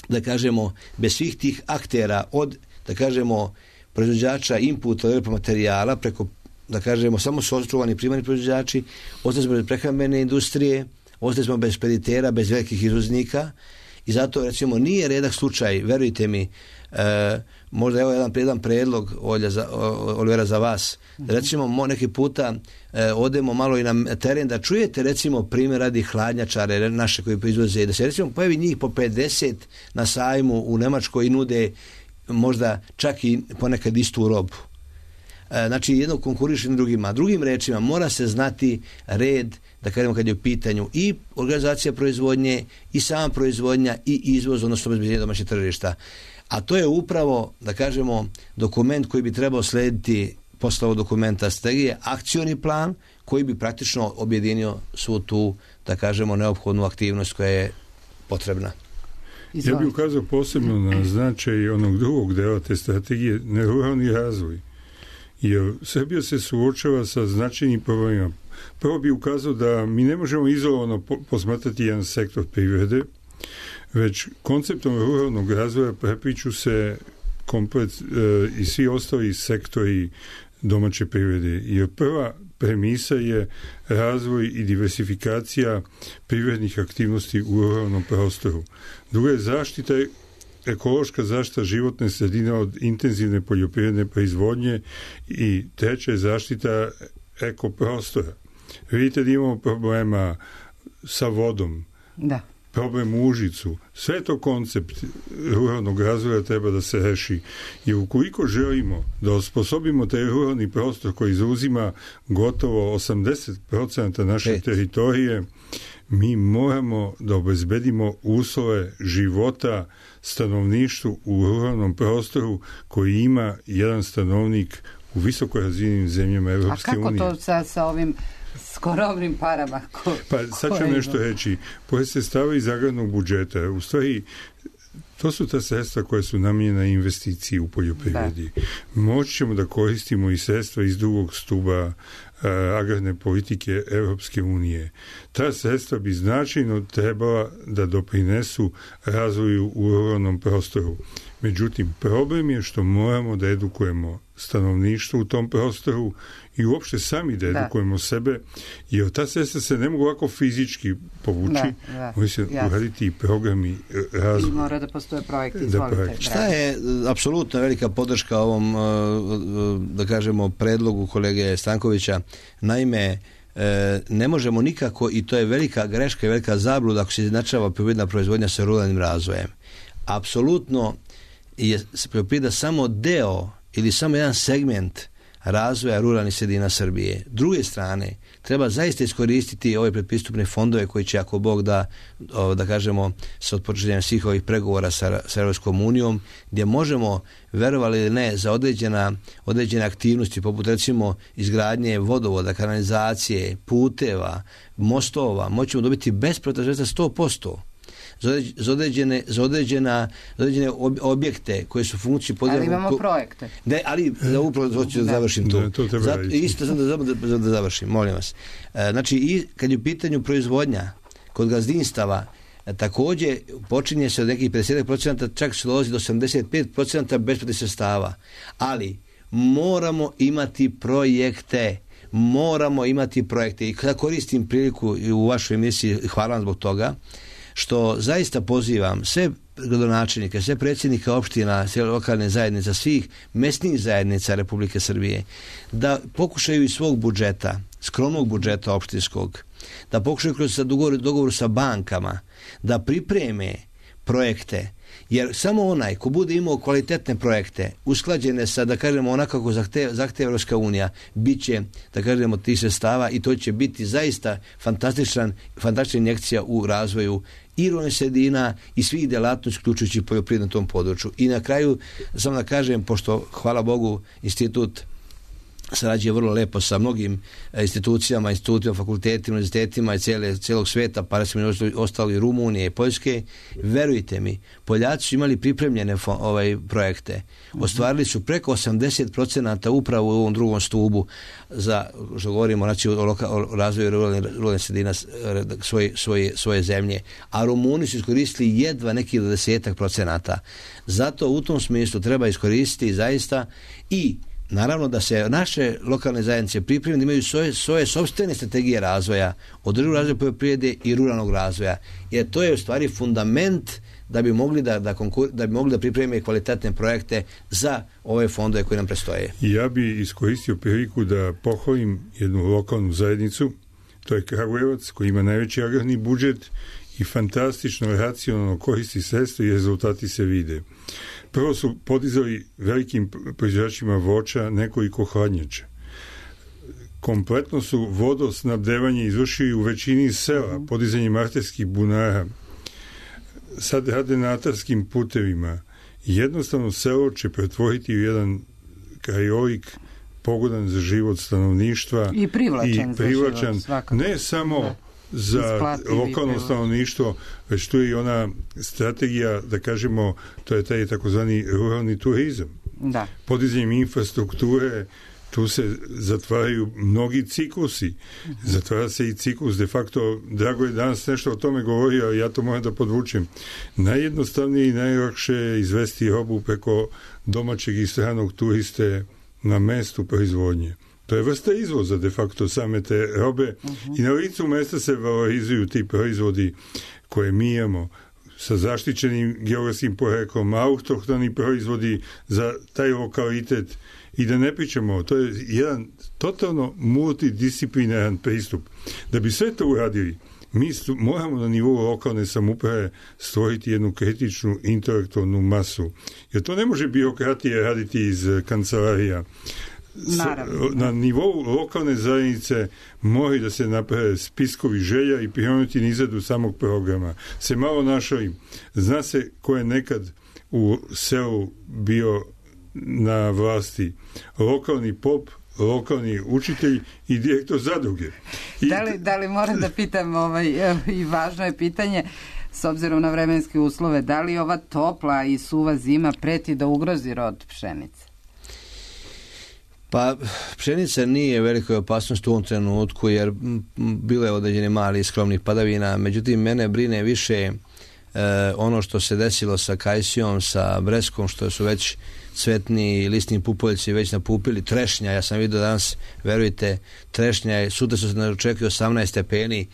da kažemo, bez svih tih aktera, od, da kažemo, proizvođača inputa materijala preko, da kažemo, samo su očuvani primarni proizvođači, ostali smo bez prehrambene industrije, ostali smo bez špeditera, bez velikih izvoznika i zato, recimo, nije redak slučaj, verujte mi, možda evo jedan predlog Olivera za vas, da recimo neki puta odemo malo i na teren da čujete, recimo, primjer radi hladnjačare naše koji proizvoze, da se recimo pojavi njih po 50 na sajmu u Nemačkoj i nude možda čak i ponekad istu robu. Znači jedno konkuriše na drugima. Drugim rečima mora se znati red, da kažemo, kad je u pitanju i organizacija proizvodnje i sama proizvodnja i izvoz, odnosno obezbeđenje domaćeg tržišta. A to je upravo, da kažemo, dokument koji bi trebao slediti posle ovog dokumenta strategije, akcioni plan koji bi praktično objedinio svu tu, da kažemo, neophodnu aktivnost koja je potrebna. Ja bih ukazao posebno na značaj onog drugog dela te strategije, ruralni razvoj. Jer Srbija se suočava sa značajnim problemima. Prvo bih ukazao da mi ne možemo izolovano posmatrati jedan sektor privrede, već konceptom ruralnog razvoja prepliću se komplet i svi ostali sektori domaće privrede. Jer prva premisa je razvoj i diversifikacija privrednih aktivnosti u ruralnom prostoru. Druga je zaštita, ekološka zaštita životne sredine od intenzivne poljoprivredne proizvodnje i treća je zaštita ekoprostora. Vidite da imamo problema sa vodom. Da. problem u Užicu, sve to koncept ruralnog razvoja treba da se reši. Jer ukoliko želimo da osposobimo taj ruralni prostor koji zauzima gotovo 80% naše teritorije, mi moramo da obezbedimo uslove života stanovništvu u ruralnom prostoru koji ima jedan stanovnik u visoko razvijenim zemljama Evropske unije. A kako to sa ovim skromnim parama? Pa sad ću nešto reći. Pored sredstava iz agrarnog budžeta, u stvari to su ta sredstva koja su namijenjena investiciji u poljoprivredi. Moći ćemo da koristimo i sredstva iz drugog stuba agrarne politike Evropske unije. Ta sredstva bi značajno trebala da doprinesu razvoju u ruralnom prostoru. Međutim, problem je što moramo da edukujemo stanovništvo u tom prostoru i uopšte sami da edukujemo sebe, jer ta sredstva se ne mogu ovako fizički povući, mogu se uraditi i programi razvoja. I mora da postoje projekti, izvolite. Šta je apsolutno velika podrška ovom, da kažemo, predlogu kolege Stankovića? Naime, ne možemo nikako, i to je velika greška i velika zabluda ako se izjednačava poljoprivredna proizvodnja sa ruralnim razvojem. Apsolutno je poljoprivreda samo deo ili samo jedan segment razvoja ruralnih sredina Srbije. S druge strane, treba zaista iskoristiti ove predpristupne fondove koji će, ako Bog da kažemo, sa otpočinjenjem svih ovih pregovora sa Europskom unijom, gdje možemo, verovali ili ne, za određene aktivnosti, poput recimo izgradnje vodovoda, kanalizacije, puteva, mostova, moćemo dobiti besplatna sredstva 100%. Za određene objekte koje su funkcije ali imamo projekte. Ne, ali upravo hoću da završim tu. Isto sam da završim, molim vas. Znači, i kad je u pitanju proizvodnja kod gazdinstava, također počinje se od nekih 50%, čak se dolazi do 75% besplatnih sredstava. Ali moramo imati projekte. I kada koristim priliku u vašoj emisiji, hvala vam zbog toga, što zaista pozivam sve gradonačelnike, sve predsjednika opština, sve lokalne zajednice, svih mesnih zajednica Republike Srbije, da pokušaju iz svog budžeta, skromnog budžeta opštinskog, da pokušaju kroz dogovor sa bankama, da pripreme projekte, jer samo onaj ko bude imao kvalitetne projekte, usklađene sa, da kažemo, onako kako zahteva Evropska unija, bit će, da kažemo, tih sredstava i to će biti zaista fantastična injekcija u razvoju i ruralnih sredina i svih delatnosti, uključujući poljoprivredu na tom području. I na kraju, samo da kažem, pošto, hvala Bogu, institut sarađuje vrlo lepo sa mnogim institucijama, fakultetima, univerzitetima i cijelog sveta, pa recimo ostali i Rumunije i Poljske. Verujte mi, Poljaci su imali pripremljene projekte. Ostvarili su preko 80% upravo u ovom drugom stubu za, što govorimo, znači, o razvoju ruralnih sredina svoje zemlje. A Rumuni su iskoristili jedva nekih 10%. Zato u tom smislu treba iskoristiti zaista i naravno da se naše lokalne zajednice pripreme da imaju svoje sopstvene strategije razvoja, održivog razvoja poljoprivrede i ruralnog razvoja. Jer to je u stvari fundament da bi mogli da pripreme kvalitetne projekte za ove fondove koje nam predstoje. Ja bi iskoristio priliku da pohvalim jednu lokalnu zajednicu, to je Kragujevac, koji ima najveći agrarni budžet i fantastično racionalno koristi sredstva i rezultati se vide. Prvo su podizali velikim proizvođačima voća nekoliko hladnjača. Kompletno su vodosnabdevanje izvršili u većini sela, podizanjem arterskih bunara. Sad rade na atarskim putevima. Jednostavno selo će pretvoriti u jedan krajolik pogodan za život stanovništva i privlačan ne samo za lokalno stanovništvo, već tu je i ona strategija, da kažemo, to je taj takozvani ruralni turizam. Da. Podizanjem infrastrukture, tu se zatvaraju mnogi ciklusi. Zatvara se i ciklus, de facto, Drago je danas nešto o tome govorio, ja to moram da podvučem. Najjednostavnije i najlakše je izvesti robu preko domaćeg i stranog turiste na mestu proizvodnje. To je vrsta izvoza de facto same te robe i na licu mesta se valorizuju ti proizvodi koje mi imamo sa zaštićenim geografskim poreklom, autohtoni proizvodi za taj lokalitet i da ne pričamo, to je jedan totalno multidisciplinaran pristup. Da bi sve to uradili, Mi moramo na nivou lokalne samouprave stvoriti jednu kritičnu intelektualnu masu. Jer to ne može birokratija raditi iz kancelarija. Na nivou lokalne zajednice moraju da se naprave spiskovi želja i prionuti izradu samog programa. Se malo našali. Zna se ko je nekad u selu bio na vlasti. Lokalni pop, lokalni učitelj i direktor zadruge. Da li moram da pitam, i važno je pitanje, s obzirom na vremenske uslove, da li ova topla i suva zima preti da ugrozi rod pšenice? Pa pšenica nije velikoj opasnosti u ovom trenutku, jer bilo je određeni mali skromnih padavina, međutim mene brine više ono što se desilo sa kajsijom, sa breskom, što su već cvetni listni pupoljci već napupili. Trešnja, ja sam vidio danas, verujte, trešnja, sutra su se očekuje 18 stepeni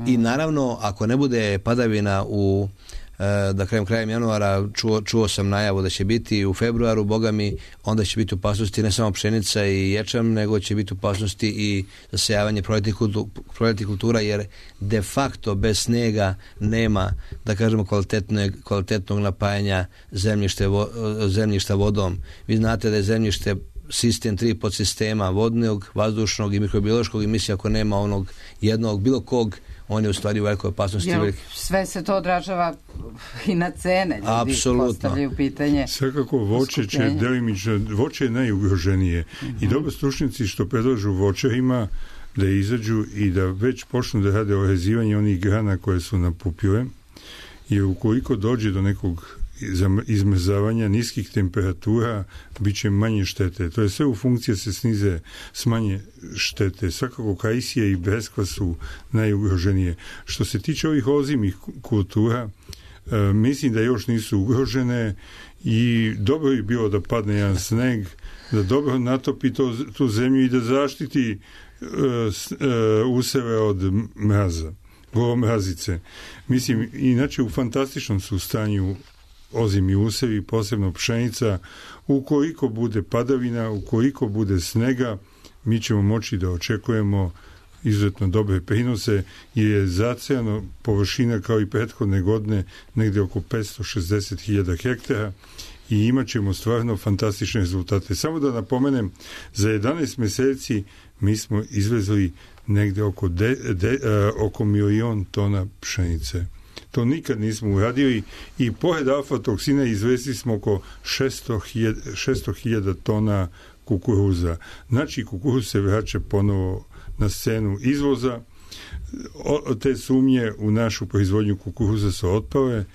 i naravno ako ne bude padavina u krajem januara, čuo sam najavu da će biti u februaru, boga mi, onda će biti opasnosti ne samo pšenica i ječam, nego će biti opasnosti i zasejavanje proljetnih kultura, jer de facto bez snega nema, da kažemo, kvalitetnog napajanja zemljišta vodom. Vi znate da je zemljište sistem 3 podsistema, vodnog, vazdušnog i mikrobiološkog, i mislim ako nema onog jednog, bilo kog, on je u stvari u velikoj opasnosti. Sve se to odražava i na cene. Ljudi postavljaju pitanje. Svakako voće će delimično, voće je najugroženije. I dobro stručnjaci što predlažu voćarima da izađu i da već počnu da rade orezivanje onih grana koje su napupile, jer ukoliko dođe do nekog izmrzavanja niskih temperatura, bit će manje štete. To je sve u funkciji se snize smanje štete. Svakako kajsija i breskva su najugroženije. Što se tiče ovih ozimih kultura, mislim da još nisu ugrožene i dobro je bilo da padne jedan sneg, da dobro natopi tu zemlju i da zaštiti useve od mraza, golomrazice. Mislim, inače u fantastičnom su stanju ozimi usevi, posebno pšenica. Ukoliko bude padavina, ukoliko bude snega, mi ćemo moći da očekujemo izuzetno dobre prinose, jer je zacejano površina kao i prethodne godine negde oko 560.000 hektara i imat ćemo stvarno fantastične rezultate. Samo da napomenem, za 11 meseci mi smo izvezli negde oko 1.000.000 tona pšenice. To nikad nismo uradili i pored alfa-toksina izvezli smo oko 600.000 tona kukuruza. Znači, kukuruz se vraća ponovo na scenu izvoza. Te sumnje u našu proizvodnju kukuruza su otpale.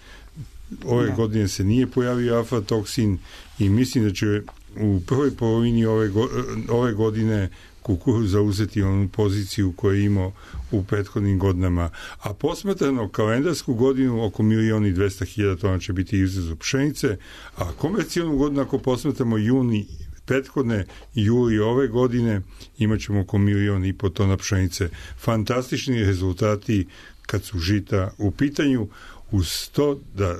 Ove godine se nije pojavio alfa-toksin i mislim da će u prvoj polovini ove godine kukuruz zauzeti onu poziciju koju je imao u prethodnim godinama. A posmatrano kalendarsku godinu oko 1.200.000 tona će biti izvoz pšenice, a komercijalnu godinu ako posmatramo juni prethodne juli ove godine imat ćemo oko 1.500.000 tona pšenice. Fantastični rezultati kad su žita u pitanju, uz to da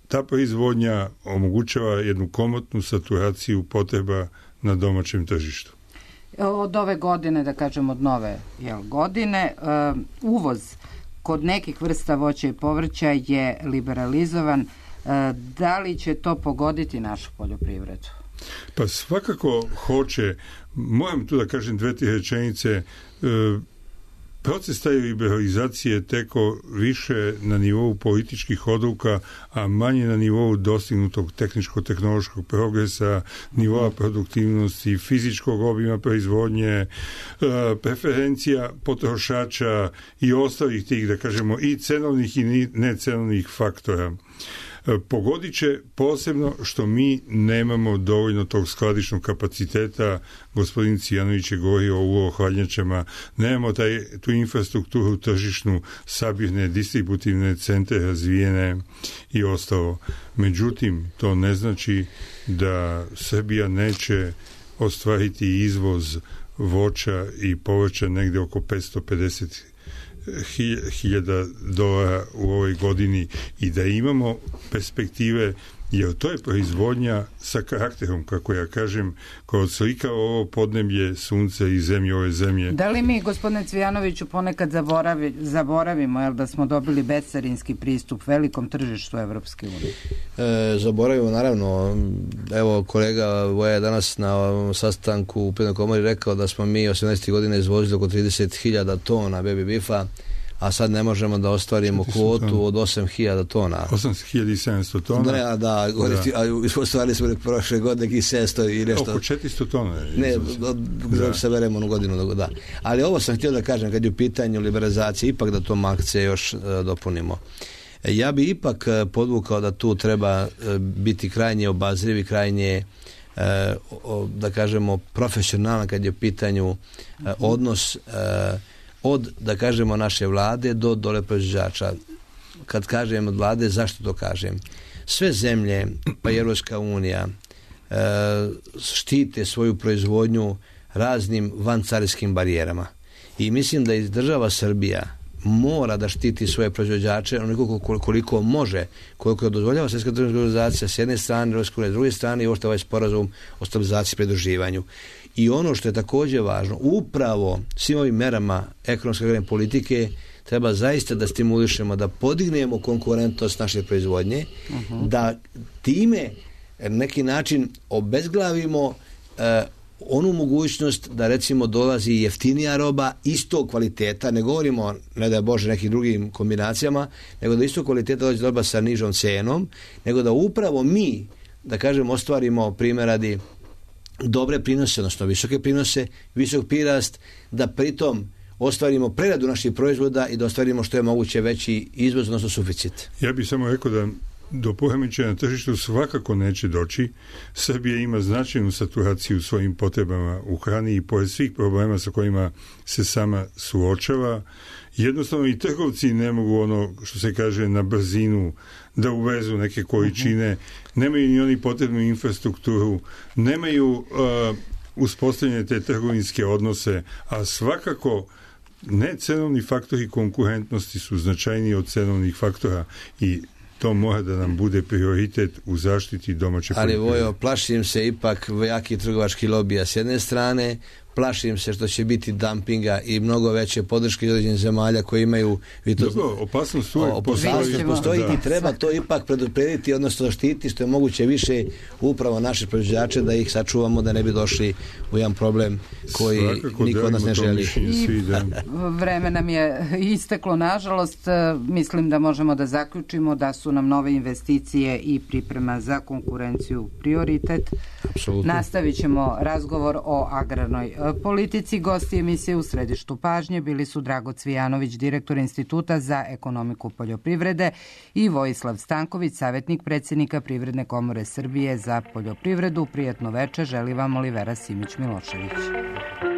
ta proizvodnja omogućava jednu komotnu saturaciju potreba na domaćem tržištu. Od ove godine, da kažem od nove godine, uvoz kod nekih vrsta voća i povrća je liberalizovan. Da li će to pogoditi našu poljoprivredu? Pa svakako hoće. Moram tu da kažem 2-3 rečenice. Proces taj liberalizacije teko više na nivou političkih odluka, a manje na nivou dostignutog tehničko-tehnološkog progresa, nivoa produktivnosti, fizičkog obima proizvodnje, preferencija potrošača i ostalih tih, da kažemo, i cenovnih i necenovnih faktora. Pogodit će posebno što mi nemamo dovoljno tog skladišnog kapaciteta. Gospodin Cijanović je govorio o ulohladnjačama, nemamo tu infrastrukturu tržišnu, sabirne, distributivne centre razvijene i ostalo. Međutim, to ne znači da Srbija neće ostvariti izvoz voća i povrća negde oko 550.000 dolara u ovoj godini i da imamo perspektive jer to je proizvodnja sa karakterom, kako ja kažem, koja odslika ovo podneblje, sunce i zemlje ove zemlje. Da li mi, gospodine Cvijanoviću, ponekad zaboravimo da smo dobili bescarinski pristup velikom tržištu Evropske unije? Zaboravimo, naravno. Evo, kolega Voja je danas na sastanku u Privrednoj komori rekao da smo mi 18. godine izvozili oko 30.000 tona baby beefa, a sad ne možemo da ostvarimo kvotu od 8.000 tona. 8.700 tona? Ne, da, ostvarili smo prošle godine nekih 700 i nešto. Oko 400 tona. Ne, da se veremo onu godinu, da. Ali ovo sam htio da kažem, kad je u pitanju liberalizacije, ipak da to makce još dopunimo. Ja bi ipak podvukao da tu treba biti krajnje obazriv i krajnje da kažemo profesionalan kad je u pitanju odnos od, da kažemo, naše vlade do dole proizvođača. Kad kažem od vlade, zašto to kažem? Sve zemlje, pa i Europska unija, štite svoju proizvodnju raznim vancarinskim barijerama. I mislim da i država Srbija mora da štiti svoje proizvođače onoliko koliko može, koliko dozvoljava Svjetska trgovinska organizacija s jedne strane, Europska unija s druge strane i ovo što je ovaj sporazum o stabilizaciji i pridruživanju. I ono što je također važno, upravo svim ovim merama ekonomske agrarne politike treba zaista da stimulišemo, da podignemo konkurentnost naše proizvodnje, da time neki način obezglavimo onu mogućnost da recimo dolazi jeftinija roba istog kvaliteta, ne govorimo, ne da Bože, nekim drugim kombinacijama, nego da istog kvaliteta dolazi roba sa nižom cenom, nego da upravo mi, da kažem, ostvarimo primjeradi dobre prinose, odnosno visoke prinose, visok prirast, da pritom ostvarimo preradu naših proizvoda i da ostvarimo što je moguće veći izvoz, odnosno suficit. Ja bih samo rekao da do poremećaja na tržištu svakako neće doći. Srbija ima značajnu saturaciju u svojim potrebama u hrani i pored svih problema sa kojima se sama suočava. Jednostavno i trgovci ne mogu ono što se kaže na brzinu da uvezu neke količine, nemaju ni oni potrebnu infrastrukturu, nemaju uspostavljene te trgovinske odnose, a svakako ne cenovni faktori konkurentnosti su značajniji od cenovnih faktora i to mora da nam bude prioritet u zaštiti domaće poljoprivrede. Ali Vojo, plašim se ipak jaki trgovački lobija s jedne strane, plašim se što će biti dumpinga i mnogo veće podrške iz određenih zemalja koje imaju... Dobro, opasnost postoji i treba to ipak preduprediti, odnosno zaštiti što je moguće više upravo naše proizvođače, da ih sačuvamo, da ne bi došli u jedan problem koji niko od nas ne želi. Vreme nam je isteklo, nažalost. Mislim da možemo da zaključimo da su nam nove investicije i priprema za konkurenciju prioritet. Apsolutno. Nastavit ćemo razgovor o agrarnoj politici. Gosti emisije u središtu pažnje bili su Drago Cvijanović, direktor Instituta za ekonomiku poljoprivrede, i Vojislav Stanković, savjetnik predsjednika Privredne komore Srbije za poljoprivredu. Prijatno veče želi vam Olivera Simić-Milošević.